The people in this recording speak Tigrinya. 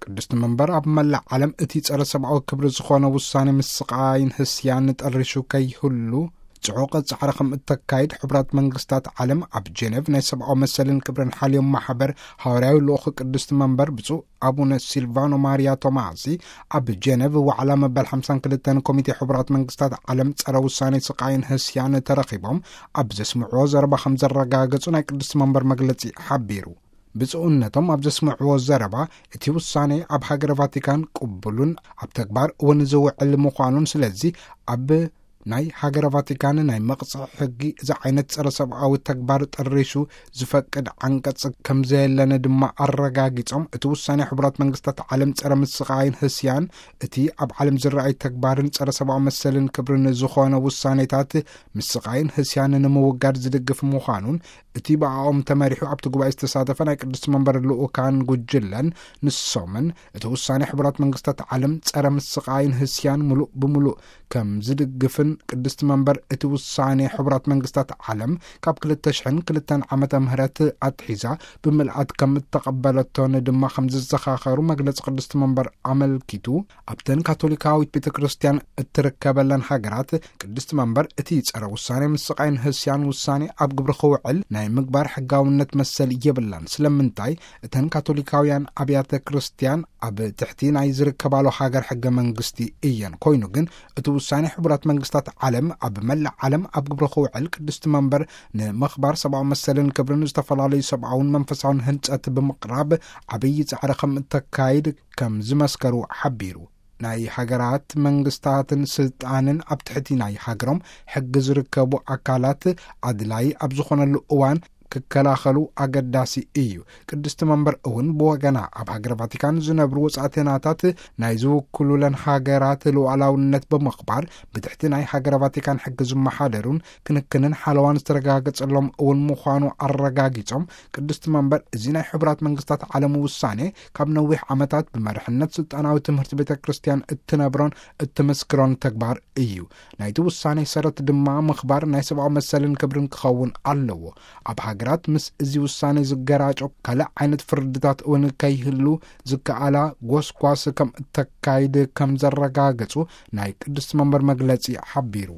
ቅድስቲ መንበር ኣብ መላእ ዓለም እቲ ጸረ ሰብኣዊ ክብሪ ዝኾነ ውሳኔ ምስቓይን ህስያን ጠሪሹ ከይህሉ ጽዑቕ ጻዕሪ ከም እተካይድ ሕቡራት መንግስታት ዓለም ኣብ ጄኔቭ ናይ ሰብኣዊ መሰልን ክብርን ሓልዮም ማሕበር ሃዋርያዊ ልኡኽ ቅድስቲ መንበር ብፁዕ ኣቡነ ሲልቫኖ ማሪያ ቶማሲ ኣብ ጄኔቭ ዋዕላ መበል ሓምሳን ክልተን ኮሚቴ ሕቡራት መንግስታት ዓለም ጸረ ውሳኔ ስቓይን ህስያን ተረኺቦም ኣብ ዘስምዕዎ ዘረባ ከም ዘረጋገጹ ናይ ቅድስቲ መንበር መግለጺ ሓቢሩ። ብፁዕነቶም ኣብ ዘስምዕዎ ዘረባ፣ እቲ ውሳኔ ኣብ ሃገረ ቫቲካን ቅቡሉን ኣብ ተግባር እውን ዝውዕል ምዃኑን፣ ስለዚ ኣብ ናይ ሃገረ ቫቲካን ናይ መቕጽዒ ሕጊ እዚ ዓይነት ጸረ ሰብኣዊ ተግባር ጠሪሹ ዝፈቅድ ዓንቀጽ ከም ዘየለነ ድማ ኣረጋጊጾም፣ እቲ ውሳኔ ሕቡራት መንግስታት ዓለም ጸረ ምስቓይን ህስያን እቲ ኣብ ዓለም ዝረኣይ ተግባርን ጸረ ሰብኣዊ መሰልን ክብርን ዝኾነ ውሳኔታት ምስቓይን ህስያን ንምውጋድ ዝድግፍ ምዃኑን፣ እቲ ብኣኦም ተመሪሑ ኣብቲ ጉባኤ ዝተሳተፈ ናይ ቅድስቲ መንበር ልኡካን ጉጅለን ንሶምን እቲ ውሳኔ ሕቡራት መንግስታት ዓለም ጸረ ምስቓይን ህስያን ምሉእ ብምሉእ ከም ዝድግፍን፣ ቅድስቲ መንበር እቲ ውሳኔ ሕቡራት መንግስታት ዓለም ካብ ክልተ ሽሕን ክልተን ዓመተ ምህረት ኣትሒዛ ብምልኣት ከም እተቐበለቶን ድማ ከም ዝዘኻኸሩ መግለጺ ቅድስቲ መንበር ኣመልኪቱ፣ ኣብተን ካቶሊካዊት ቤተ ክርስቲያን እትርከበለን ሃገራት ቅድስቲ መንበር እቲ ጸረ ውሳኔ ምስቓይን ህስያን ውሳኔ ኣብ ግብሪ ክውዕል ናይ ምግባር ሕጋውነት መሰል የብላን። ስለምንታይ? እተን ካቶሊካውያን ኣብያተ ክርስቲያን ኣብ ትሕቲ ናይ ዝርከባሉ ሃገር ሕገ መንግስቲ እየን። ኮይኑ ግን እቲ ውሳኔ ሕቡራት መንግስታት ዓለም ኣብ መላእ ዓለም ኣብ ግብሪ ክውዕል ቅድስቲ መንበር ንምኽባር ሰብኣዊ መሰልን ክብርን ዝተፈላለዩ ሰብኣውን መንፈሳውን ህንጸት ብምቕራብ ዓብዪ ጻዕሪ ከም እተካይድ ከም ዝመስከሩ ሓቢሩ። ናይ ሃገራት መንግስታትን ስልጣንን ኣብ ትሕቲ ናይ ሃገሮም ሕጊ ዝርከቡ ኣካላት ኣድላይ ኣብ ዝኾነሉ እዋን ክከላኸሉ ኣገዳሲ እዩ። ቅድስቲ መንበር እውን ብወገና ኣብ ሃገረ ቫቲካን ዝነብሩ ወጻእተናታት ናይ ዝውክሉለን ሃገራት ሉዓላውነት ብምኽባር ብትሕቲ ናይ ሃገረ ቫቲካን ሕጊ ዝመሓደሩን ክንክንን ሓለዋን ዝተረጋገጸሎም እውን ምዃኑ ኣረጋጊጾም፣ ቅድስቲ መንበር እዚ ናይ ሕቡራት መንግስታት ዓለም ውሳኔ ካብ ነዊሕ ዓመታት ብመርሕነት ስልጣናዊ ትምህርቲ ቤተ ክርስቲያን እትነብሮን እትምስክሮን ተግባር እዩ። ናይቲ ውሳኔ ሰረት ድማ ምኽባር ናይ ሰብኣዊ መሰልን ክብርን ክኸውን ኣለዎ። ኣብ ሃገራት ምስ እዚ ውሳኔ ዝገራጮ ካልእ ዓይነት ፍርድታት እውን ከይህሉ ዝከኣላ ጎስጓስ ከም እተካይድ ከም ዘረጋገጹ ናይ ቅድስቲ መንበር መግለጺ ሓቢሩ።